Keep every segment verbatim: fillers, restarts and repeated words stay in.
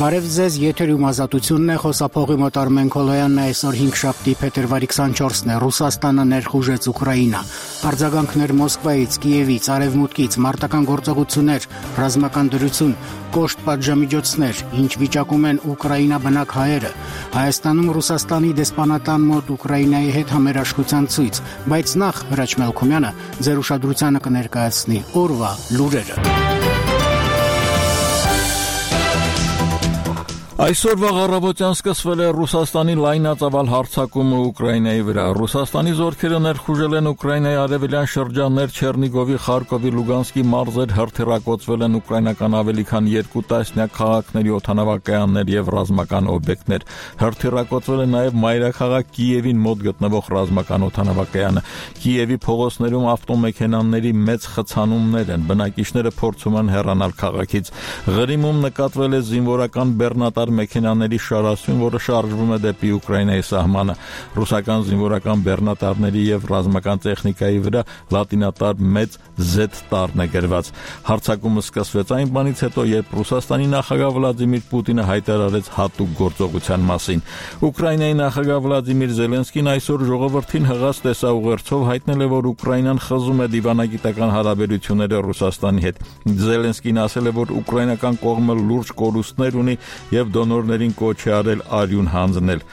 Բարև ձեզ, եթերում ազատությունն է, խոսափողի մոտ Արմեն Քոլոյանն է, այսօր հինգշաբթի փետրվարի քսանչորսն է, Ռուսաստանը ներխուժեց Ուկրաինա, արձագանքներ Մոսկվայից, Կիևից, Արևմուտքից, մարտական գործողություններ, ռազմական դրություն, կոշտ պատժամիջոցներ, ինչ վիճակում են Ուկրաինա բնակ հայերը, Հայաստանում Ռուսաստանի դեսպանատան մոտ Ուկրաինայի հետ համերաշխության ցույց, բայց նախ Հրաչ Մելքումյանը ձեր ուշադրությանը կներկայացնի օրվա լուրերը։ Այսօրվա առավոտյան սկսվել է Ռուսաստանի լայնածավալ հարձակումը Ուկրաինայի վրա։ Ռուսաստանի զորքերը ներխուժել են Ուկրաինայի արևելյան շրջաններ Չեռնիգովի, Խարկովի, Լուգանսկի մարզեր, հրթիռակոծվել են ուկրաինական ավելի քան երկու տասնյակ քաղաքների օդանավակայաններ եւ ռազմական օբյեկտներ։ Հրթիռակոծվել է նաեւ մայրաքաղաք Կիևին մոտ գտնվող ռազմական օդանավակայանը։ Կիևի փողոցներում ավտոմեքենաների մեծ խցանումներ են։ Բնակիչները փորձում են հեռանալ քաղաքից։ Ղրիմում նկատվել է զինվորական բեռնատար մեքենաների շարասյուն, որը շարժվում է դեպի Ուկրաինայի սահմանը։ Ռուսական զինվորական բեռնատարների եւ ռազմական տեխնիկայի վրա լատինատար մեծ Z տառն է գրված։ Հարձակումը սկսվեց այն բանից հետո, երբ Ռուսաստանի նախագահ Վլադիմիր Պուտինը հայտարարեց հատուկ գործողության մասին։ Ուկրաինայի նախագահ Վլադիմիր Զելենսկին այսօր ժողովրդին հղած տեսաուղերձով հայտնել է, որ Ուկրաինան խզում է դիվանագիտական հարաբերությունները Ռուսաստանի հետ։ Զելենսկին ասել է, որ ուկրաինական կողմը լուրջ կորուստներ ունի եւ դոնորներին կոչ է արել արյուն հանձնել։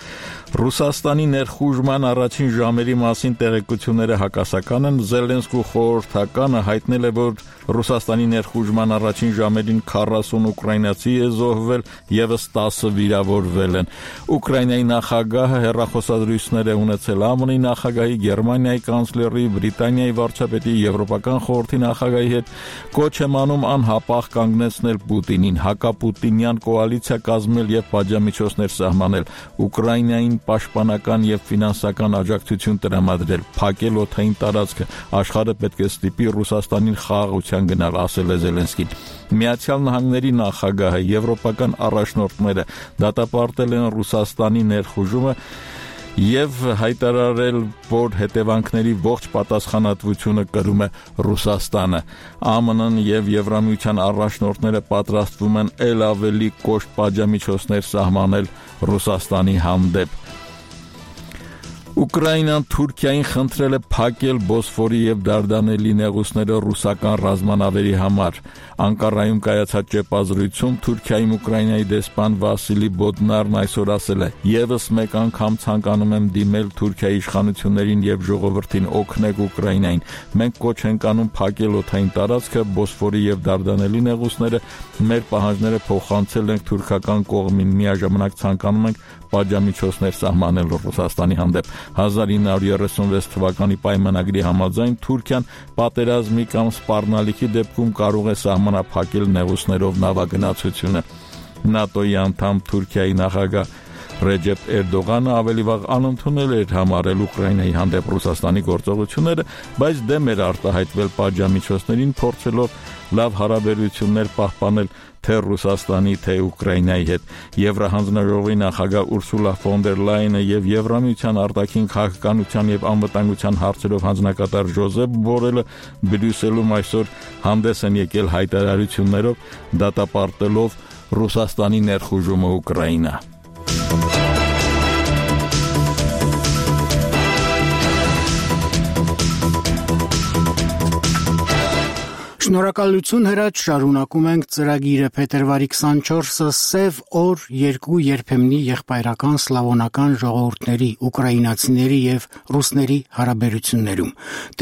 Ռուսաստանի ներխուժման առաջին ժամերի մասին տեղեկությունները հակասական են։ Զելենսկու խորհրդականը հայտնել է, որ Ռուսաստանի ներխուժման առաջին ժամերին քառասուն ուկրաինացի է զոհվել, եւս տասը վիրավորվել են։ Ուկրաինայի նախագահը հեռախոսազրույցներ է ունեցել ԱՄՆ-ի նախագահի, Գերմանիայի կանցլերի, Բրիտանիայի վարչապետի, Եվրոպական խորհրդի նախագահի հետ, կոչ է անում անհապաղ կանգնեցնել Պուտինին, հակապուտինյան կոալիցիա կազմել եւ պատժամիջոցներ սահմանել, Ուկրաինային պաշտպանական եւ ֆինանսական աջակցություն տրամադրել, փակել օդային տարածքը, աշխարհը պետք է ստիպի Ռուսաստանին խաղաղության գնալ, ասել է Զելենսկին։ Միացյալ Նահանգների նախագահը, եվրոպական առաջնորդները դատապարտել են Ռուսաստանի ներխուժումը եւ հայտարարել, որ հետևանքների ողջ պատասխանատվությունը կրում է Ռուսաստանը։ ԱՄՆ-ն եւ Եվրամիության առաջնորդները պատրաստվում են ել ավելի կոշտ պատժամիջոցներ սահմանել Ռուսաստանի հանդեպ։ Ուկրաինան Թուրքիային խնդրել է փակել Բոսֆորի եւ Դարդանելի նեղուցները ռուսական ռազմանավերի համար։ Անկարայում կայացած ճեպազրույցում Թուրքիայում Ուկրաինայի դեսպան Վասիլի Բոդնարն այսօր ասել է. «Եվս մեկ անգամ ցանկանում եմ դիմել Թուրքիայի իշխանություններին եւ ժողովրդին օգնեք Ուկրաինային։ Մենք կոչ ենք անում փակել օդային տարածքը, Բոսֆորի եւ Դարդանելի նեղուցները, մեր պահանջները փոխանցել ենք թուրքական կողմին, միաժամանակ ցանկանում ենք պատժամիջոցներ սահմանել Ռուսաստանի հանդեպ։ հազար ինը հարյուր երեսունվեց թվականի պայմանագրի համաձայն Թուրքիան պատերազմի կամ սպառնալիքի դեպքում կարող է սահմանափակել նեղուցներով նավագնացությունը։ ՆԱՏՕ-ի անդամ Թուրքիայի նախագահ Ռեջեփ Էրդողանը ավելի վաղ անընդունել էր համարել Ուկրաինայի հանդեպ Ռուսաստանի գործողությունները, բայց դեմ էր արտահայտվել պատժամիջոցներին, փորձելով լավ հարաբերություններ պահպանել թե Ռուսաստանի, թե Ուկրաինայի հետ։ Եվրահանձնաժողովի նախագահ Ուրսուլա ֆոն դեր Լայենը եւ Եվրամիության արտաքին քաղաքականության եւ անվտանգության հարցերով հանձնակատար Ժոզեփ Բորելը Բրյուսելում այսօր հանդես են եկել հայտարարություններով, դատապարտելով Ռուսաստանի ներխուժումը Ուկրաինա։ Շնորհակալություն Հրաչ, շարունակում ենք ծրագիրը փետրվարի քսանչորսը սև օր երկու երբեմնի եղբայրական սլավոնական ժողովուրդների, ուկրաինացիների եւ ռուսների հարաբերություններում։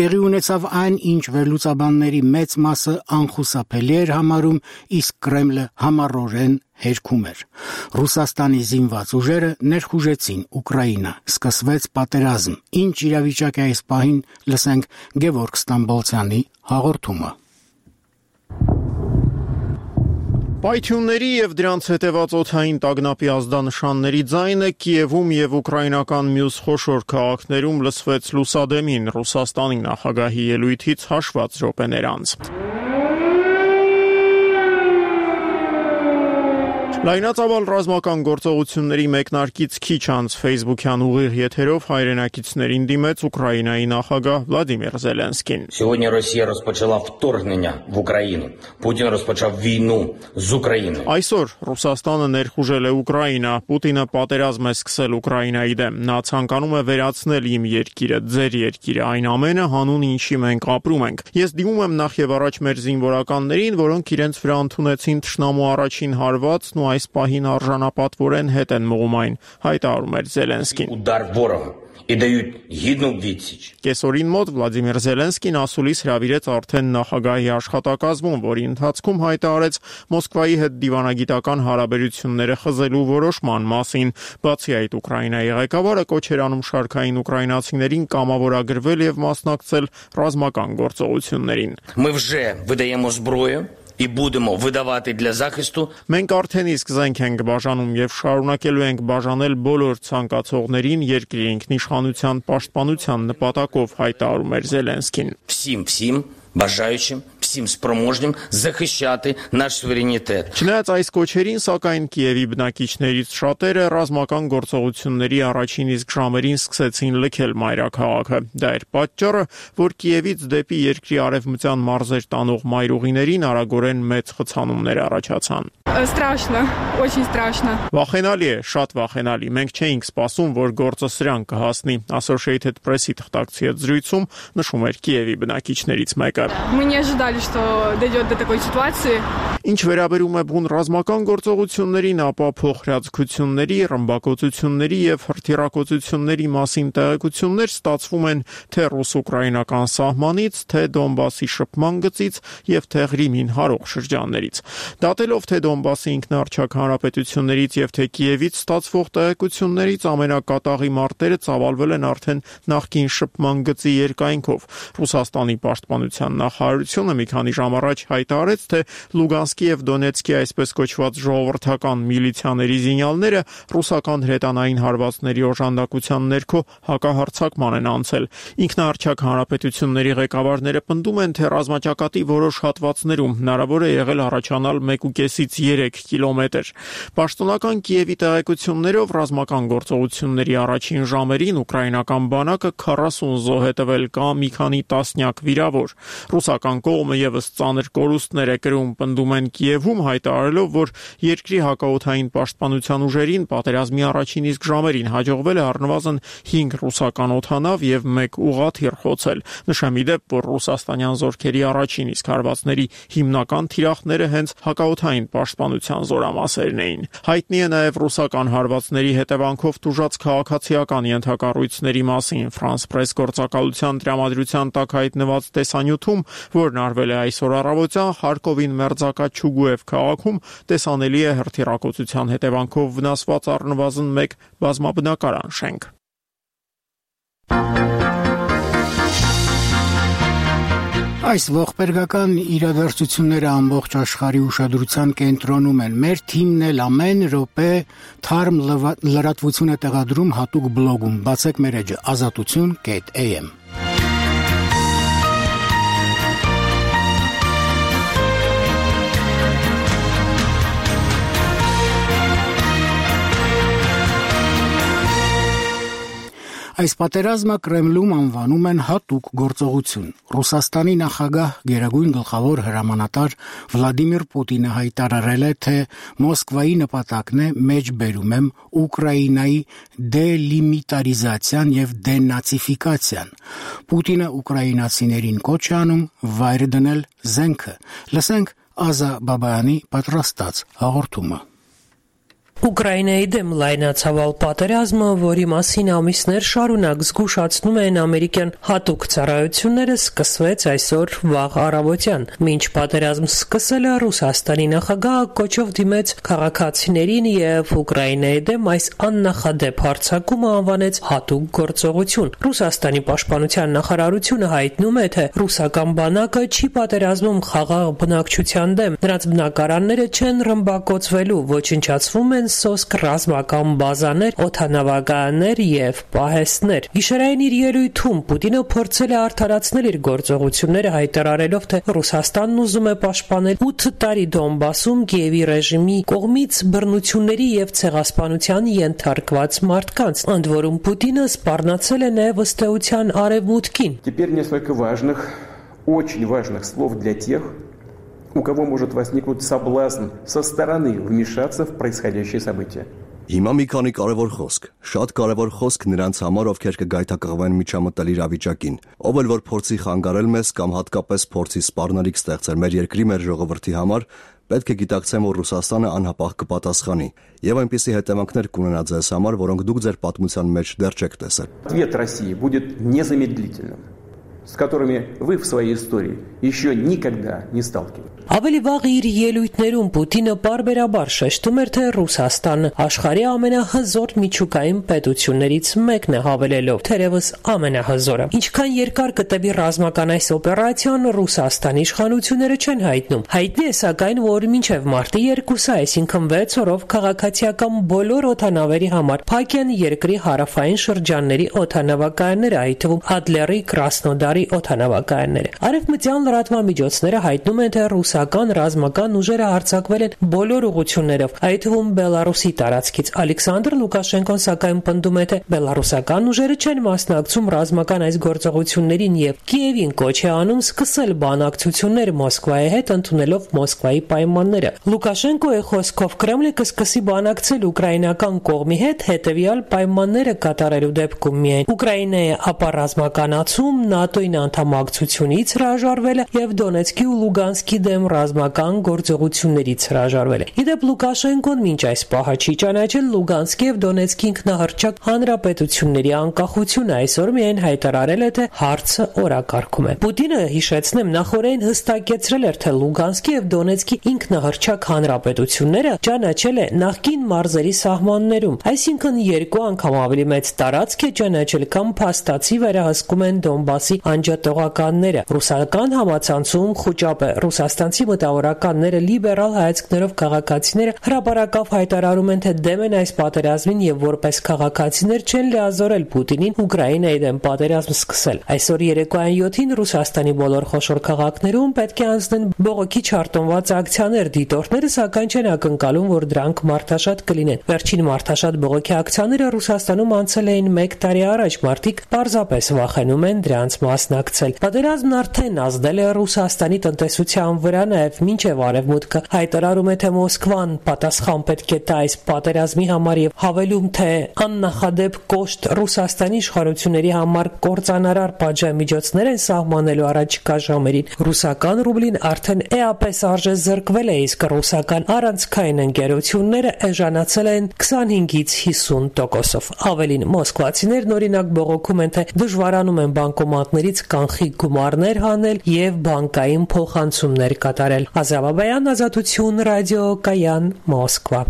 Տեղի ունեցավ այն, ինչ վերլուծաբանների մեծ մասը անխուսափելի էր համարում, իսկ Կրեմլը համառորեն հերքում էր։ Ռուսաստանի զինված ուժերը ներխուժեցին Ուկրաինա, սկսվեց պատերազմ։ Ինչ իրավիճակ է այս պահին, լսենք Գևորգ Ստամբոլցյանի հաղորդումը։ Պայթյունների եւ դրանց հետեւած օդային տագնապի ազդանշանների ձայնը Կիևում եւ ուկրաինական մյուս խոշոր քաղաքներում լսվեց լուսադեմին Ռուսաստանի նախագահի ելույթից հաշված րոպեներ անց։ Լայնածավալ ռազմական գործողությունների մեկնարկից քիչ անց Facebook-յան ուղիղ եթերով հայրենակիցներին դիմեց Ուկրաինայի նախագահ Վլադիմիր Զելենսկին. Сьогодні Росія розпочала вторгнення в Україну. Путін розпочав війну з Україною. Այսօր Ռուսաստանը ներխուժել է Ուկրաինա, Պուտինը պատերազմ է սկսել Ուկրաինայի դեմ։ Նա ցանկանում է վերացնել իմ երկիրը, ձեր երկիրը, այն ամենը հանուն ինչի մենք ապրում ենք։ Ես դիմում եմ նախ եւ առաջ մեր զինվորականներին, որոնք իրենց վրա ընդունեցին թշնամու առաջին հարվածն ու այս պահին արժանապատվորեն հետ են մղում այն, հայտարարում էր Զելենսկին։ Удар ворога. І дають гідну відсіч. Կեսօրին մոտ Վլադիմիր Զելենսկին ասուլիս հրավիրեց արդեն նախագահի աշխատակազմում, որի ընթացքում հայտարարեց Մոսկվայի հետ դիվանագիտական հարաբերությունները խզելու որոշման մասին։ Բացի այդ, Ուկրաինայի ղեկավարը կոչ էր անում շարքային ուկրաինացիներին կամավորագրվել եւ մասնակցել ռազմական գործողություններին։ Ми вже видаємо зброю. І будемо видавати для захисту. Մենք արդեն իսկ զենք ենք բաժանում եւ շարունակելու ենք բաժանել բոլոր ցանկացողներին երկրի ինքնիշխանության պաշտպանության նպատակով, հայտարարում էր Զելենսկին։ Всім, всім бажаючим, всім спроможним захищати наш суверенітет. Չնայած այս կոչերին, սակայն Կիևի բնակիչներից շատերը ռազմական գործողությունների առաջին իսկ ժամերին սկսեցին լքել մայրաքաղաքը։ Դա էր պատճառը, որ Կիևից դեպի երկրի արևմտյան մարզեր տանող մայրուղիներին արագորեն մեծ խցանումներ առաջացան։ Страшно, очень страшно. Վախենալի է, շատ վախենալի։ Մենք չէինք սպասում, որ գործը սրան կհասնի։ Associated Press-ի թղթակցի հետ զրույցում նշում էր Կիևի բնակիչներից մեկը։ Мы не ожидали, что дойдет до такой ситуации. Ինչ վերաբերում է բուն ռազմական գործողություններին, ապա փոխհրաձգությունների, ռմբակոծությունների եւ հրթիռակոծությունների մասին տեղեկություններ ստացվում են թե ռուս-ուկրաինական սահմանից, թե Դոնբասի շփման գծից եւ թե Ղրիմին հարող շրջաններից։ Դատելով թե Դոնբասի ինքնաառչակ հանրապետություններից եւ թե Կիևից ստացվող տեղեկություններից ամենակատաղի մարտերը ծավալվել են արդեն նախկին շփման գծի երկայնքով։ Ռուսաստանի պաշտպանության նախարարությունը մի քանի ժամ առաջ հայտարարեց, թե Լուգանսկի եւ Դոնեցկի այսպես կոչված ժողովրդական միլիցիաների զինյալները ռուսական հրետանային հարվածների օժանդակության ներքո հակահարձակման են անցել։ Ինքնաառչակ հանրապետությունների ղեկավարները պնդում են, թե ռազմաճակատի որոշ հատվածներում հնարավոր է եղել առաջանալ մեկ ու կեսից երեք կիլոմետր։ Պաշտոնական Կիևի տեղեկություններով ռազմական գործողությունների առաջին ժամերին ուկրաինական բանակը քառասուն զոհ է տվել կամ մի քանի տասնյակ վիրավոր։ Ռուսական կողմը եւս ծանր կորուստներ է կրում, պնդում են Կիևում, հայտարարելով, որ երկրի հակաօդային պաշտպանության ուժերին պատերազմի առաջին իսկ ժամերին հաջողվել է առնվազն հինգ ռուսական օդանավ եւ մեկ ուղղաթիռ խոցել։ Նշեմ ի դեպ, որ ռուսաստանյան զորքերի առաջին իսկ հարվածների հիմնական թիրախները հենց հակաօդային պաշտպանության զորամասերն էին։ Հայտնի է նաեւ ռուսական հարվածների հետևանքով տուժած քաղաքացիական ենթակառույցների մասին France Press գործակալության տրամադրության տակ հայտնված տեսանյութում, որն արվել է այսօր առավոտյան Խարկովին մերձակա Չուգուև քաղաքում, տեսանելի է հրթիռակոծության հետևանքով վնասված առնվազն մեկ բազմաբնակարան շենք։ Այս ողբերգական իրադարձությունները ամբողջ աշխարհի ուշադրության կենտրոնում են։ Մեր թիմն էլ ամեն րոպե թարմ լրատվություն է տեղադրում հատուկ բլոգում։ Բացեք մեր էջը ազատություն կետ A M։ Այս պատերազմը Կրեմլում անվանում են հատուկ գործողություն։ Ռուսաստանի նախագահ գերագույն գլխավոր հրամանատար Վլադիմիր Պուտինը հայտարարել է, թե Մոսկվայի նպատակն է մեջբերում եմ Ուկրաինայի դելիմիտարիզացիան եւ դենացիֆիկացիան։ Պուտինը ուկրաինացիներին կոչ է անում վայր դնել զենքը։ Լսենք Ազա Բաբայանի պատրաստած հաղորդումը։ Ուկրաինայի դեմ լայնացավալ պատերազմը, որի մասին ամիսներ շարունակ զգուշացնում են ամերիկյան հատուկ ծառայությունները, սկսվեց այսօր վաղ առավոտյան։ Մինչ պատերազմ սկսելը Ռուսաստանի նախագահը կոչով դիմեց քաղաքացիներին եւ Ուկրաինայի դեմ այս աննախադեպ հարձակումը անվանեց հատուկ գործողություն։ Ռուսաստանի պաշտպանության նախարարությունը հայտնում է, թե ռուսական բանակը չի պատերազմում խաղաղ բնակչության դեմ։ Նրանց բնակարանները չեն ռմբակոծվելու, ոչնչացվում են են սոսկ ռազմական բազաներ, օդանավակայաններ եւ պահեստներ։ Գիշերային իր ելույթում Պուտինը փորձել է արդարացնել իր գործողությունները, հայտարարելով, թե Ռուսաստանն ուզում է պաշտպանել ութ տարի Դոնբասում Կիևի ռեժիմի կողմից բռնությունների եւ ցեղասպանության ենթարկված մարդկանց, ընդ որում Պուտինը սպառնացել է նաեւ ըստեյության արևմուտքին։ Теперь несколько важных, очень важных слов для тех, у кого может возникнуть соблазн со стороны вмешаться в происходящее событие. Հիմա մի քանի կարևոր խոսք, շատ կարևոր խոսք նրանց համար, ովքեր կգայթակղվեն միջամտել իրավիճակին, ով էլ որ փորձի խանգարել մեզ կամ հատկապես փորձի սպառնալիք ստեղծել մեր երկրի, մեր ժողովրդի համար, պետք է գիտակցեն, որ Ռուսաստանը անհապաղ կպատասխանի, եւ այնպիսի հետևանքներ կունենա ձեզ համար, որոնք դուք ձեր պատմության մեջ դեռ չեք տեսել։ Ответ России будет незамедлительным, с которыми вы в своей истории еще никогда не сталкивались. Ավելի վաղ իր ելույթներում Պուտինը պարբերաբար շեշտում էր, թե Ռուսաստանը աշխարհի ամենահզոր միջուկային պետություններից մեկն է, հավելելով, թերևս ամենահզորը։ Ինչքան երկար կտևի ռազմական այս օպերացիան, Ռուսաստանի իշխանությունները չեն հայտնում։ Հայտնի է սակայն, որ մինչև մարտի երկուսը, այսինքն վեց օրով, քաղաքացիական բոլոր օդանավերի համար փակ են երկրի հարավային շրջանների օդանավակայանները, այդ թվում Ադլերի, Կրասնոդարի օդանավակայանները։ Արևմտյան լրատվամիջոցները հայտնում են, թե ռուսական ռազմական ուժերը հարձակվել են բոլոր ուղղություններով, այդ թվում Բելարուսի տարածքից։ Ալեքսանդր Լուկաշենկոն սակայն պնդում է, թե բելարուսական ուժերը չեն մասնակցում ռազմական այս գործողություններին եւ Կիևին կոչ է անում սկսել բանակցություններ Մոսկվայի հետ, ընդունելով Մոսկվայի պայմանները։ Լուկաշենկոյի խոսքով Կրեմլը կսկսի բանակցել ուկրաինական կողմի հետ հետեւյալ պայմանները կատարելու դեպքում միայն Ուկրաինայի ապառազմականացում, ՆԱՏՕ-ին անդամակցությունից հրաժարվելը եւ Դոնեցկի ու Լուգանսկի դեմ ռազմական գործողություններից հրաժարվելը։ Իդեպ Լուկաշենկոն մինչ այս պահը չի ճանաչել Լուգանսկի եւ Դոնեցկի ինքնահռչակ հանրապետությունների անկախությունը, այսօր միայն հայտարարել է, թե հարցը օրակարգում է։ Պուտինը, հիշեցնեմ, նախորդին հստակեցրել էր, թե Լուգանսկի եւ Դոնեցկի ինքնահռչակ հանրապետությունները ճանաչել է նախկին մարզերի սահմաններում, այսինքն երկու անգամ ավելի մեծ տարածք է ճանաչել, քան փաստացի վերահսկում են Դոնբասի անջատողականները։ Ռուսական համացանցում խոճապ է։ Ռուսաստանցի մտավորականները, լիբերալ հայացքներով քաղաքացիները հրապարակավ հայտարարում են, թե դեմ են այս պատերազմին եւ որպես քաղաքացիներ չեն լիազորել Պուտինին Ուկրաինայի դեմ պատերազմ սկսել։ Այսօր երեկոյան յոթին Ռուսաստանի բոլոր խոշոր քաղաքներում պետք է անցնեն բողոքի չարտոնված ակցիաներ, դիտորդները սակայն չեն ակնկալում, որ դրանք մարդաշատ կլինեն։ Վերջին մարդաշատ բողոքի ակցիաները Ռուսաստանում անցել էին մեկ տարի առաջ, մարդիկ պարզապես վախենում են դրանց մասնակցել։ Պատերազմն արդեն ազդել է Ռուսաստանի տնտեսության վրա, նաև մինչև Արևմուտքը հայտարարում է, թե Մոսկվան պատասխան պետք է տա այս պատերազմի համար եւ հավելում, թե աննախադեպ կոշտ Ռուսաստանի իշխանությունների համար կործանարար պատժամիջոցներ են սահմանելու առաջիկա ժամերին։ Ռուսական ռուբլին արդեն էապես արժե զրկվել է, իսկ ռուսական առանցքային ընկերությունները էժանացել են քսանհինգից հիսուն տոկոսով։ Ավելին, մոսկվացիներն օրինակ բողոքում են, թե դժվարանում են բանկոմատներից կանխիկ գումարներ հանել եւ բանկային փոխանցումներ կատարել։ Ազավաբայան, Ազատություն, ռադիո Կայան, Մոսկվա։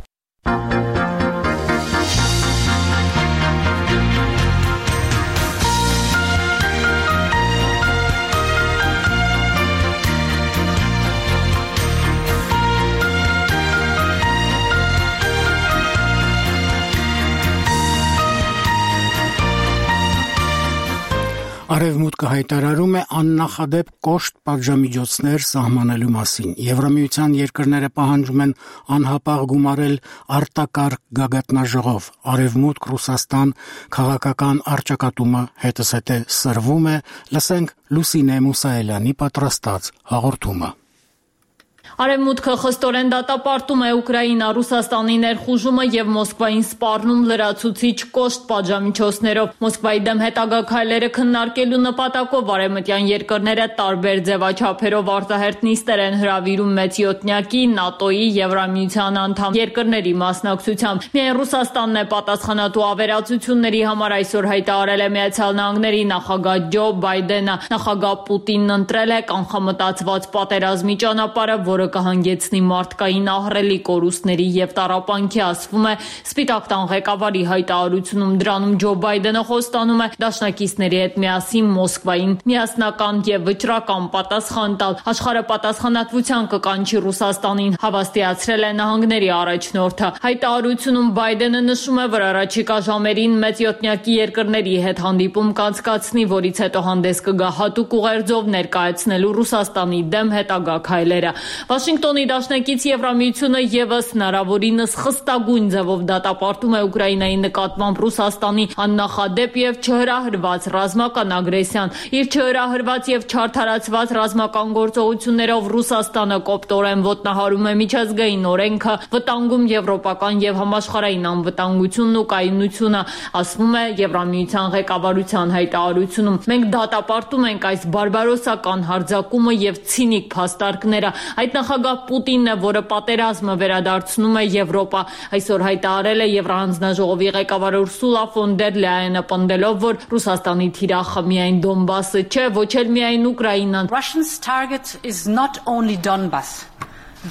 Արևմուտքը հայտարարում է աննախադեպ կոշտ պատժամիջոցներ սահմանելու մասին։ Եվրամիության երկրները պահանջում են անհապաղ գումարել արտակարգ գագաթնաժողով։ Արևմուտք Ռուսաստան քաղաքական առճակատումը հետզհետե սրվում է։ Լսենք Լուսինե Մուսայելյանի պատրաստած հաղորդումը։ Արևմուտքը խստորեն դատապարտում է Ուկրաինա-Ռուսաստանի ներխուժումը եւ Մոսկվային սպառնում լրացուցիչ կոշտ պատժամիջոցներով։ Մոսկվայի դեմ հետագա քայլերը քննարկելու նպատակով արևմտյան երկրները տարբեր ձևաչափերով արտահերթ նիստեր են հրավիրում մեծյոթնյակի, ՆԱՏՕ-ի, Եվրամիության անդամ երկրների մասնակցությամբ։ Միայն Ռուսաստանն է պատասխանատու ավերածությունների համար, այսօր հայտարարել է Միացյալ Նահանգների նախագահ Ջո Բայդենը։ Նախագահ Պուտինն ընտրել է կանխամտածված պատերազմի ճանապարհը, որը որը կհանգեցնի մարդկային ահռելի կորուստների եւ տառապանքի, ասվում է Սպիտակ տան ղեկավարի հայտարարությունում։ Դրանում Ջո Բայդենը խոստանում է դաշնակիցների հետ միասին Մոսկվային միասնական եւ վճռական պատասխան տալ։ Աշխարհը պատասխանատվության կկանչի Ռուսաստանին, հավաստիացրել է նահանգների առաջնորդը։ Հայտարարությունում Բայդենը նշում է, որ առաջիկա ժամերին մեծ յոթնյակի երկրների հետ հանդիպում կանցկացնի, որից հետո հանդես կգա հատուկ ուղերձով ներկայացնելու Ռուսաստանի դեմ հետագա քայլերը։ Վաշինգտոնի դաշնակից Եվրամիությունը եւս հնարավորինս խստագույն ձևով դատապարտում է Ուկրաինայի նկատմամբ Ռուսաստանի աննախադեպ եւ չհրահրված ռազմական ագրեսիան։ Իր չհրահրված եւ չարդարացված ռազմական գործողություններով Ռուսաստանը կոպտորեն ոտնահարում է միջազգային օրենքը, վտանգում եվրոպական եւ համաշխարհային անվտանգությունն ու կայունությունը, ասվում է Եվրամիության ղեկավարության հայտարարությունում։ Մենք դատապարտում ենք այս բարբարոսական հարձակումը եւ ցինիկ փաստարկները։ Այդ նախագահ Պուտինն է, որը պատերազմը վերադարձնում է Եվրոպա։ Այսօր հայտարարել է Եվրահանձնաժողովի ղեկավար Ուրսուլա ֆոն դեր Լայենը, պնդելով, որ Ռուսաստանի թիրախը միայն Դոնբասը չէ, ոչ էլ միայն Ուկրաինան։ Russia's target is not only Donbas.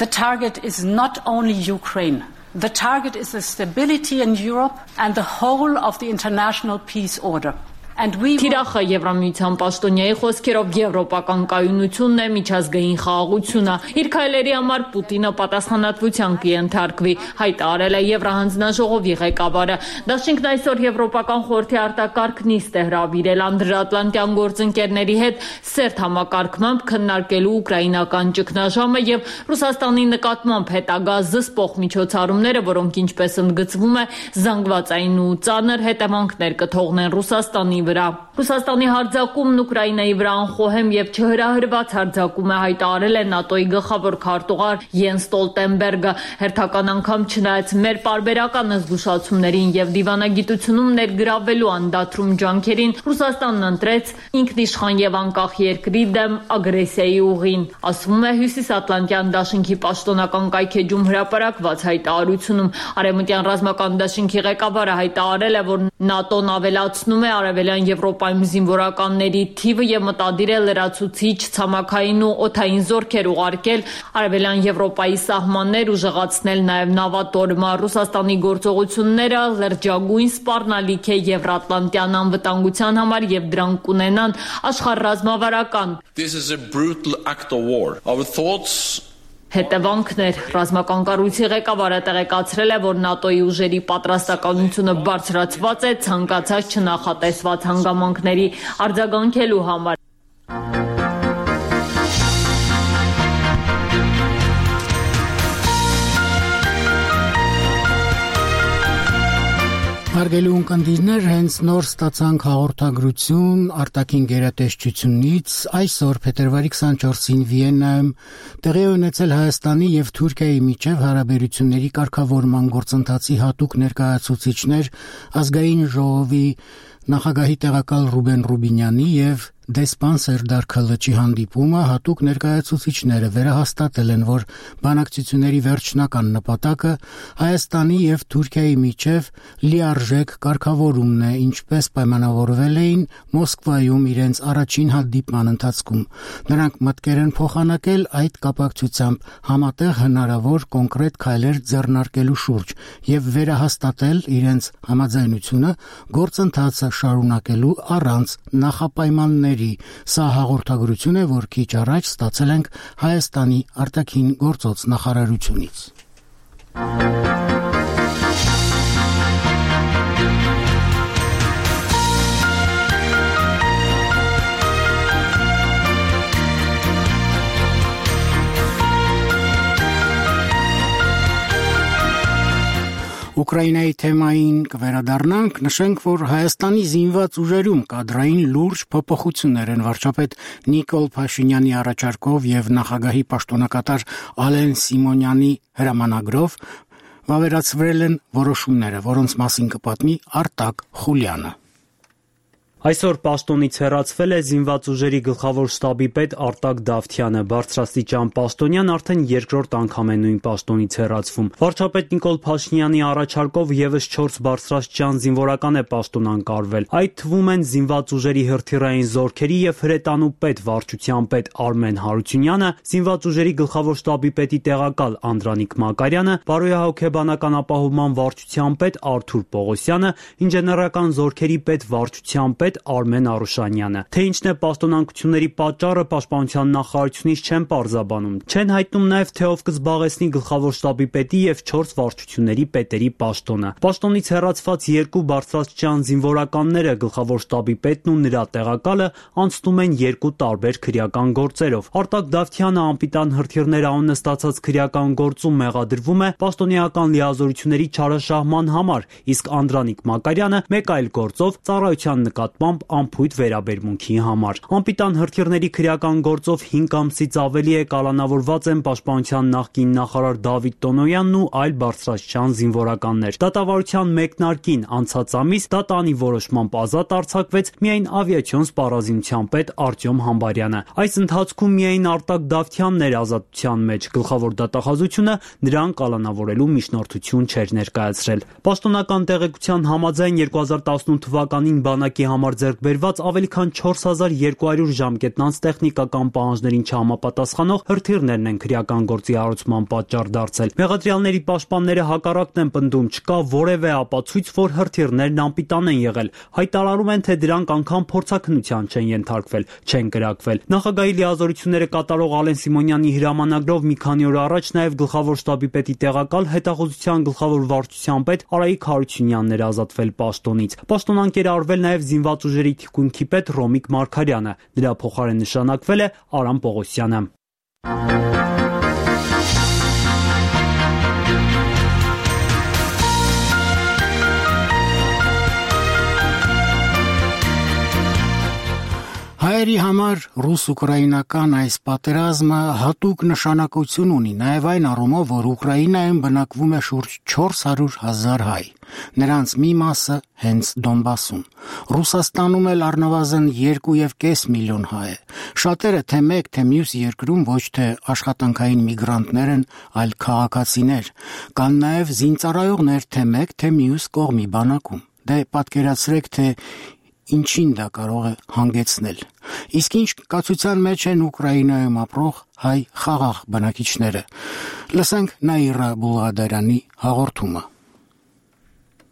The target is not only Ukraine. The target is the stability in Europe and the whole of the international peace order. Թիրախը Եվրամիության պաշտոնյայի խոսքերով եվրոպական կայունությունն է, միջազգային խաղաղությունը։ Իր քայլերի համար Պուտինը պատասխանատվության կենթարկվի, հայտարարել է Եվրահանձնաժողովի ղեկավարը։ Դաշինքն այսօր Եվրոպական խորհրդի արտակարգ նիստ է հրավիրել անդրատլանտյան գործընկերների հետ սերտ համակարգմամբ քննարկելու ուկրաինական ճգնաժամը եւ Ռուսաստանի նկատմամբ հետագա զսպող միջոցառումները, որոնք ինչպես ընդգծվում է, զանգվածային ու ծանր հետևանքներ կթողնեն Ռուսաստանի վրա։ Ռուսաստանի հարձակումն Ուկրաինայի վրա անխոհեմ եւ չհրահրված հարձակում է, հայտարարել է ՆԱՏՕ-ի գլխավոր քարտուղար Յենս Ստոլտենբերգը։ Հերթական անգամ չնայած մեր պարբերական զգուշացումներին եւ դիվանագիտությունում ներգրավելու անդադրում ջանքերին, Ռուսաստանն ընտրեց ինքնիշխան եւ անկախ երկրի դեմ ագրեսիայի ուղին, ասվում է Հյուսիսատլանտյան դաշինքի պաշտոնական կայքեջում հրապարակված հայտարարությունում։ Արևմտյան ռազմական դաշինքի ղեկավարը հայտարարել է, որ ՆԱՏՕ-ն ավելացնում է արևելյան Եվրոպայում զինվորականների թիվը եւ մտադիր է լրացուցիչ ցամաքային ու օդային զորքեր ուղարկել արևելյան Եվրոպայի սահմաններ, ուժեղացնել նաեւ նավատորմը։ Ռուսաստանի գործողությունները լրջագույն սպառնալիք է եվրատլանտյան անվտանգության համար եւ դրանք կունենան աշխարհառազմավարական հետևանքներ։ Ռազմական կառույցի ղեկավարը տեղեկացրել է, որ ՆԱՏՕ-ի ուժերի պատրաստականությունը բարձրացված է ցանկացած չնախատեսված հանգամանքների արձագանքելու համար։ Հարգելի ունկնդիրներ, հենց նոր ստացանք հաղորդագրություն արտաքին գերատեսչությունից։ Այսօր փետրվարի քսանչորսին Վիեննայում տեղի ունեցել Հայաստանի եւ Թուրքիայի միջև հարաբերությունների կարգավորման գործընթացի հատուկ ներկայացուցիչներ ազգային ժողովի նախագահի տեղակալ Ռուբեն Ռուբինյանի եւ դեսպան Սերդար Քլչի հանդիպումը հատուկ ներկայացուցիչները վերահաստատել են, որ բանակցությունների վերջնական նպատակը Հայաստանի եւ Թուրքիայի միջև լիարժեք կարգավորումն է, ինչպես պայմանավորվել էին Մոսկվայում իրենց առաջին հանդիպման ընթացքում։ Նրանք մտկեր են փոխանակել այդ կապակցությամբ համատեղ հնարավոր կոնկրետ քայլեր ձեռնարկելու շուրջ եւ վերահաստատել իրենց համաձայնությունը գործընթացը շարունակելու առանց նախապայմանների։ Սա հաղորդագրություն է, որ քիչ առաջ ստացել ենք Հայաստանի արտաքին գործոց նախարարությունից։ Ուկրաինայի թեմային կվերադառնանք, նշենք, որ Հայաստանի զինված ուժերում կադրային լուրջ փոփոխություններ են վարչապետ Նիկոլ Փաշինյանի առաջարկով եւ նախագահի պաշտոնակատար Ալեն Սիմոնյանի հրամանագրով վավերացվել են որոշումները, որոնց մասին կպատմի Արտակ Խուլյանը։ Այսօր պաշտոնից հեռացվել է զինված ուժերի գլխավոր շտաբի պետ Արտակ Դավթյանը։ Բարձրաստիճան պաշտոնյան արդեն երկրորդ անգամ է նույն պաշտոնից հեռացվում։ Վարչապետ Նիկոլ Փաշինյանի առաջարկով եւս չորս բարձրաստիճան զինվորական է պաշտոն անկարվել։ Այդ թվում են զինված ուժերի հրթիռային զորքերի եւ հրետանու պետ վարչության պետ Արմեն Հարությունյանը, զինված ուժերի գլխավոր շտաբի պետի տեղակալ Անդրանիկ Մակարյանը, բարոյահոգեբանական ապահովման վարչության պետ Արթուր Պողոսյանը, ինժեներական զորքերի պետ վարչության պետ Արմեն Արուշանյանը։ Թե ինչն է պաշտոնանկությունների պատճառը, պաշտպանության նախարարությունից չեն պարզաբանում։ Չեն հայտնում նաև թե ով կզբաղեցնի գլխավոր շտաբի պետի եւ չորս վարչությունների պետերի պաշտոնը։ Պաշտոնից հեռացված երկու բարձրաստիճան զինվորականները, գլխավոր շտաբի պետն ու նրա տեղակալը, անցնում են երկու տարբեր քրեական գործերով։ Արտակ Դավթյանը անպիտան հրթիռներ անունը ստացած քրեական գործում մեղադրվում է պաշտոնեական լիազորությունների չարաշահման համար, իսկ Անդրանիկ Մակարյանը մեկ այլ գործով ծառայության նկատմամբ անփույթ վերաբերմունքի համար։ Անպիտան հրթիռների քրեական գործով հինգ ամսից ավելի է կալանավորված են պաշտպանության նախկին նախարար Դավիթ Տոնոյանն ու այլ բարձրաստիճան զինվորականներ։ Դատավարության մեկնարկին անցած ամիս դատանի որոշմամբ ազատ արձակվեց միայն ավիացիոն սպառազինության պետ Արտյոմ Համբարյանը։ Այս ընթացքում միայն Արտակ Դավթյանն էր ազատության մեջ։ Գլխավոր դատախազությունը նրան կալանավորելու միջնորդություն չէր ներկայացրել։ Պաշտոնական տեղեկության համաձայն երկու հազար տասնութ թվականին բանակի համար ձեռք բերված ավելի քան չորս հազար երկու հարյուր ժամկետնանց տեխնիկական պահանջներին չհամապատասխանող հրթիռներն են քրեական գործի հարուցման պատճառ դարձել։ Մեղադրյալների պաշտպանները հակառակն են պնդում, չկա որևէ ապացույց, որ հրթիռներն անպիտան են եղել։ Հայտարարում են, թե դրանք անգամ փորձաքննության չեն ենթարկվել, չեն կրակվել։ Նախագահի լիազորությունները կատարող Ալեն Սիմոնյանի հրամանագրով մի քանի օր առաջ նաև գլխավոր շտաբի պետի տեղակալ հետախուզության գլխավոր վարչության պետ Արայիկ Հարությունյանն էր ազատվել պաշտոնից։ Պաշտոնանկեր արվել նաև զինված ուժերի թիկունքի պետ Ռոմիկ Մարգարյանը, դրա փոխարեն նշանակվել է Արամ Պողոսյանը։ Հայերի համար ռուս-ուկրաինական այս պատերազմը հատուկ նշանակություն ունի նաև այն առումով, որ Ուկրաինայում բնակվում է շուրջ չորս հարյուր հազար հայ, նրանց մի մասը հենց Դոնբասում։ Ռուսաստանում էլ առնվազն երկու եւ կես միլիոն հայ է։ Շատերը թե մեկ, թե մյուս երկրում ոչ թե աշխատանքային միգրանտներ են, այլ քաղաքացիներ, կան նաև զինծառայողներ թե մեկ, թե մյուս կողմի բանակում։ Դե պատկերացրեք, թե ինչին դա կարող է հանգեցնել։ Իսկ ինչ կացության մեջ են Ուկրաինայում ապրող հայ խաղաղ բնակիչները։ Լսենք Նաիրա Բուլղադարյանի հաղորդումը։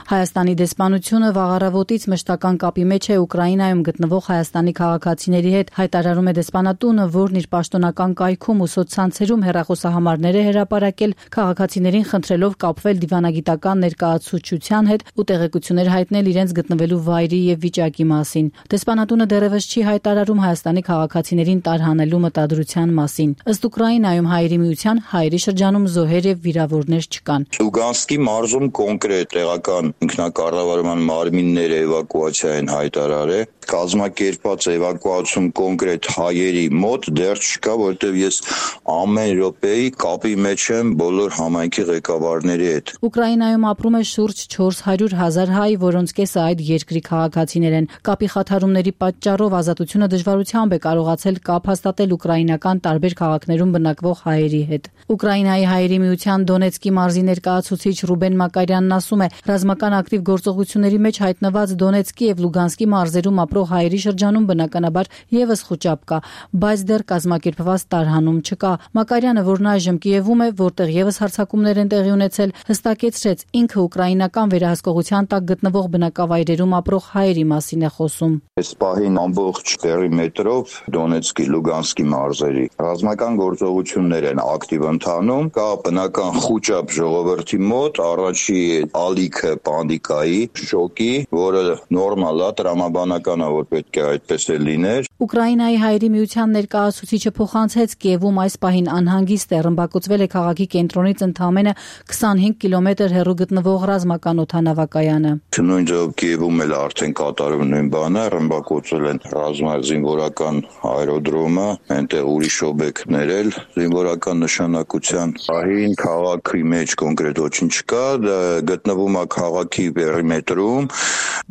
Հայաստանի դեսպանությունը վաղ առավոտից մշտական կապի մեջ է Ուկրաինայում գտնվող հայաստանի քաղաքացիների հետ, հայտարարում է դեսպանատունը, որն իր պաշտոնական կայքում ու սոցցանցերում հեռախոսահամարներ է հրապարակել, քաղաքացիներին խնդրելով կապվել դիվանագիտական ներկայացուցչության հետ ու տեղեկություններ հայտնել իրենց գտնվելու վայրի եւ վիճակի մասին։ Դեսպանատունը դեռևս չի հայտարարում Հայաստանի քաղաքացիներին տարհանելու մտադրության մասին։ Ըստ Ուկրաինայում հայերի միության հայերի շրջանում զոհեր եւ վիրավորներ չկան։ Լուգանսկի մարզում կոնկրետ տեղական ինքնակառավարման մարմինները էվակուացիա են հայտարարել, կազմակերպված էվակուացիում կոնկրետ հայերի մոտ դեռ չկա, որտեղ ես ամեն րոպեի կապի մեջ եմ բոլոր համայնքի ղեկավարների հետ։ Ուկրաինայում ապրում է շուրջ չորս հարյուր հազար հայ, որոնց կեսը այդ երկրի քաղաքացիներ են։ Կապի խաթարումների պատճառով ազատությունը դժվարությամբ է կարողացել կապ հաստատել ուկրաինական տարբեր քաղաքներում բնակվող հայերի հետ։ Ուկրաինայի հայերի միության Դոնեցկի մարզի ներկայացուցիչ Ռուբեն Մակարյանն ասում է, ռազմական ակտիվ գործողությունների մեջ հայտնված Դոնեցկի եւ Լուգանսկի մարզերում ապրող հայերի շրջանում բնականաբար եւս խոճապ կա, բայց դեռ կազմակերպված տարհանում չկա։ Մակարյանը, որն այժմ Կիևում է, որտեղ եւս հարձակումներ են տեղի ունեցել, հստակեցրեց, ինքը ուկրաինական վերահսկողության տակ գտնվող բնակավայրերում ապրող հայերի մասին է խոսում։ Այս պահին ամբողջ պերիմետրով Դոնեցկի, Լուգանսկի մարզերի ռազմական գործողություններ են ակտիվ ընթանում, կա բնական խոճապ ժողովրդի մոտ, առաջի ալիքը պանդիկայի, շոկի, որը նորմալ է, տրամաբանական է, որ պետք է այդպես է լիներ։ Ուկրաինայի հայերի միության ներկայացուցիչը փոխանցեց Կիևում այս պահին անհանգիստ է, ռմբակոծվել է քաղաքի կենտրոնից ընդամենը քսանհինգ կիլոմետր հեռու գտնվող ռազմական օդանավակայանը։ Նույն ձև Կիևում էլ արդեն կատարում նույն բանը, ռմբակոծել են ռազմազինվորական աերոդրոմը, այնտեղ ուրիշ օբյեկտներ էլ զինվորական նշանակության։ Պահին քաղաքի մեջ կոնկրետ ոչինչ չկա, գտնվում է քաղաքի քաղաքի պերիմետրում։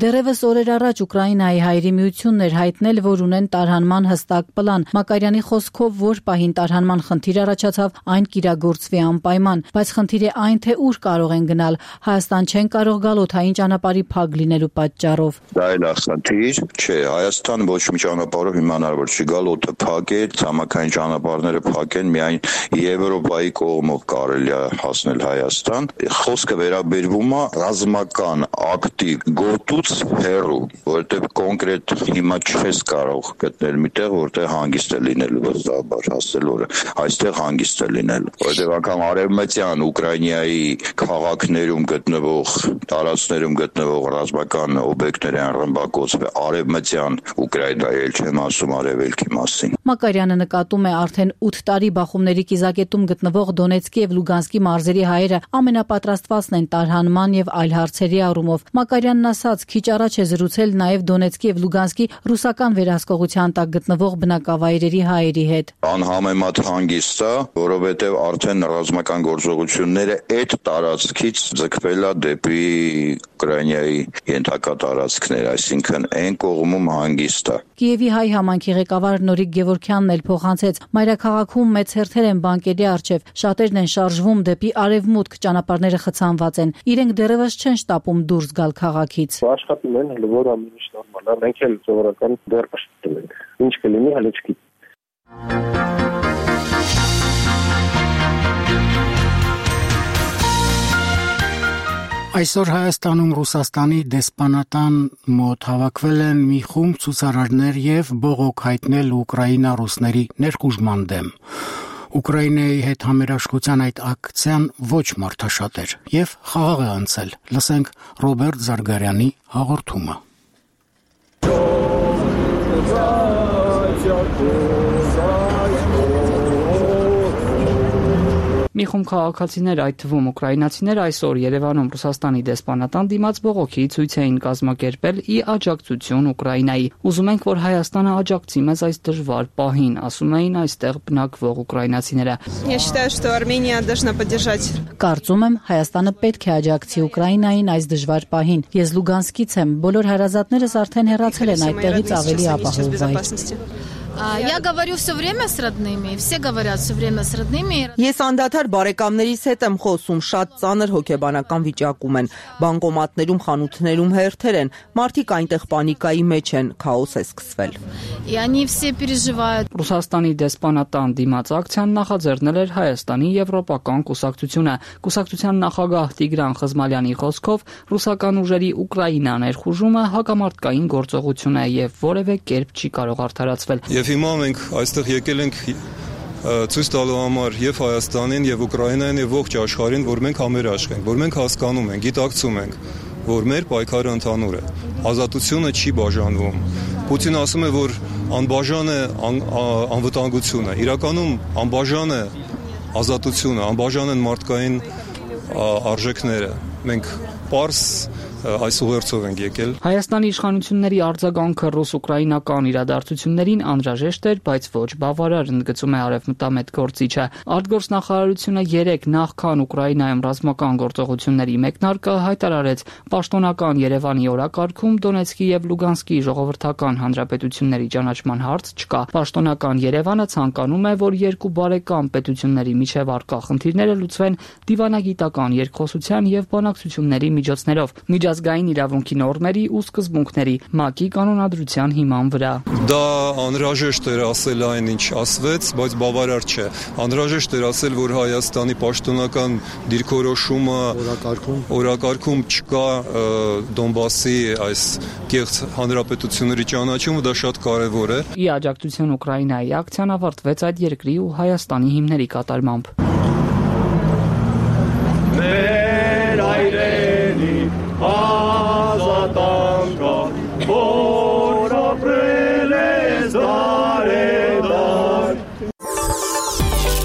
Դեռևս օրեր առաջ Ուկրաինայի հայերի միությունն էր հայտնել, որ ունեն տարհանման հստակ պլան։ Մակարյանի խոսքով, որ պահին տարհանման խնդիր առաջացավ, այն կիրագործվի անպայման, բայց խնդիր է այն, թե ուր կարող են գնալ։ Հայաստան չեն կարող գալ օդային ճանապարհի փակ լինելու պատճառով։ Դա էլ է խնդիր, չէ, Հայաստան ոչ մի ճանապարհով իմանալով չի գալ, օդը փակ է, ցամաքային ճանապարհները փակ են, միայն Եվրոպայի կողմով կարելի է հասնել Հայաստան։ Խոսքը վերաբերվում է ռազմական ակտի գոտուց հեռու, որտեղ կոնկրետ հիմա չես կարող գտնել միտեղ, որտեղ հանգիստ է լինելու վստահաբար հասել օրը։ Այստեղ հանգիստ է լինելու, որտեղ անգամ արևմտյան Ուկրաինայի քաղաքներում գտնվող, տարածքներում գտնվող ռազմական օբյեկտներ են ռմբակոծվել արևմտյան Ուկրաինայի, էլ չեմ ասում արևելքի մասին։ Մակարյանը նկատում է արդեն ութ տարի բախումների կիզակետում գտնվող Դոնեցկի եւ Լուգանսկի մարզերի հայերը ամենապատրաստվածն են տարհանման եւ այլ հարցերի առումով։ Մակարյանն ասաց, քիչ առաջ է զրուցել նաեւ Դոնեցկի եւ Լուգանսկի ռուսական վերահսկողության տակ գտնվող բնակավայրերի հայերի հետ։ Անհամեմատ հանգիստ է, որովհետեւ արդեն ռազմական գործողությունները այդ տարածքից ձգվել է դեպի Ուկրաինայի ենթակա տարածքներ, այսինքն այն կողմում հանգիստ է։ Կիևի հայ համայնքի ղեկավար Նորիկ Գևորգյանն էլ փոխանցեց. մայրաքաղաքում մեծ հերթեր են բանկերի առջև, շատերն են շարժվում դեպի արևմուտք, ճանապարհները խցանված են։ Իրենք դեռևս չեն շտապում դուրս գալ քաղաքից։ Աշխատում են, հələ որ ամեն ինչ նորմալ է, մենք էլ սովորական դեռ աշխատում ենք։ Ինչ կլինի, հələ չգիտեմ։ Այսօր Հայաստանում Ռուսաստանի դեսպանատան մոտ հավաքվել են մի խումբ ցուցարարներ եւ բողոք հայտնել Ուկրաինա ռուսների ներխուժման դեմ։ Ուկրաինայի հետ համերաշխության այդ ակցիան ոչ մարդաշատ էր եւ խաղաղ է անցել։ Լսենք Ռոբերտ Զարգարյանի հաղորդումը։ Մի խումբ քաղաքացիներ, այդ թվում ուկրաինացիներ, այսօր Երևանում Ռուսաստանի դեսպանատան դիմաց բողոքի ցույց էին կազմակերպել ի աջակցություն Ուկրաինայի։ Ուզում ենք, որ Հայաստանը աջակցի մեզ այս դժվար պահին, ասում էին այստեղ բնակվող ուկրաինացիները։ Կարծում եմ, Հայաստանը պետք է աջակցի Ուկրաինային այս դժվար պահին։ Ես Լուգանսկից եմ, բոլոր հարազատներս արդեն հեռացել են այդտեղից ավելի ապահով վայր։ Я говорю все время с родными, все говорят все время с родными. Ես անդադար բարեկամներիս հետ եմ խոսում, շատ ծանր հոգեբանական վիճակում են, բանկոմատներում, խանութներում հերթեր են, մարդիկ այնտեղ պանիկայի մեջ են, քաոս է սկսվել։ И они все переживают. Ռուսաստանի դեսպանատան դիմաց ակցիան նախաձեռնել էր Հայաստանի Եվրոպական կուսակցությունը։ Կուսակցության նախագահ Տիգրան Խզմալյանի խոսքով ռուսական ուժերի Ուկրաինա ներխուժումը հակամարտկային գործողություն է եւ որևէ կերպ չի կարող արդարացվել։ Եվ հիմա մենք այստեղ եկել ենք ցույց տալու համար եւ Հայաստանին եւ Ուկրաինային եւ ողջ աշխարհին, որ մենք համերաշխ ենք, որ մենք հասկանում ենք, գիտակցում ենք, որ մեր պայքարը ընդհանուր է։ Ազատությունը չի բաժանվում։ Պուտինը ասում է, որ անբաժան է անվտանգությունը։ Իրականում անբաժան է ազատությունը, անբաժան են մարդկային արժեքները։ Մենք պարզ այս ուղերձով ենք եկել։ Հայաստանի իշխանությունների արձագանքը ռուս-ուկրաինական իրադարձություններին անհրաժեշտ էր, բայց ոչ բավարար, ընդգծում է արևմտամետ գործիչը։ Արտգործնախարարությունը երեք նախքան Ուկրաինայում ռազմական գործողությունների մեկնարկը հայտարարեց պաշտոնական Երևանի օրակարգում Դոնեցկի եւ Լուգանսկի ժողովրդական հանրապետությունների ճանաչման հարց չկա։ Պաշտոնական Երևանը ցանկանում է, որ երկու բարեկամ պետությունների միջև առկա խնդիրները լուծվեն դիվանագիտական երկխոսության եւ բանակցությունների միջոցներով։ Միջազգային իրավունքի նորմերի ու սկզբունքների ՄԱԿ-ի կանոնադրության հիման վրա։ Դա անհրաժեշտ էր ասել այն, ինչ ասվեց, բայց բավարար չէ։ Անհրաժեշտ էր ասել, որ Հայաստանի պաշտոնական դիրքորոշումը օրակարգում չկա Դոնբասի այս կեղծ հանրապետությունների ճանաչումը, դա շատ կարևոր է։ Ի աջակցություն Ուկրաինայի ակցիան ավարտվեց այդ երկրի ու Հայաստանի հիմների կատարմամբ։ Մեր այրենի ազատանկա, որ ապրել ես դարեդար։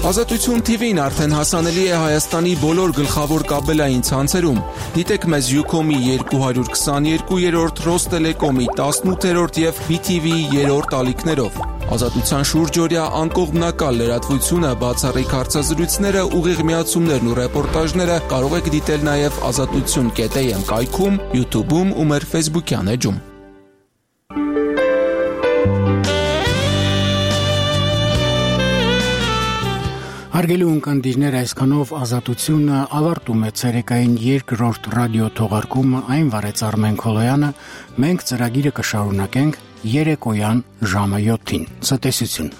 Ազատություն թի վին արդեն հասանելի է Հայաստանի բոլոր գլխավոր կաբելային ցանցերում։ Դիտեք մեզ Ucom-ի երկու հարյուր քսաներկուերորդ, Ռոստելեկոմի տասնութերորդ եւ բի թի վի-ի երրորդ ալիքներով։ Ազատության շուրջօրյա անկողմնակալ լրատվությունը, բացառիկ հարցազրույցները, ուղիղ միացումներն ու ռեպորտաժները կարող եք դիտել նաեւ ազատություն կետ էյ էմ կայքում, YouTube-ում ու մեր Facebook-յան էջում։ Հարգելի ունկնդիրներ, այսքանով ազատությունը ավարտում է ցերեկային երկրորդ ռադիո թողարկումը, այն վարեց Արմեն Քոլոյանը, մենք ծրագիրը կշարունակենք երեկոյան ժամը յոթին։ Ցտեսություն։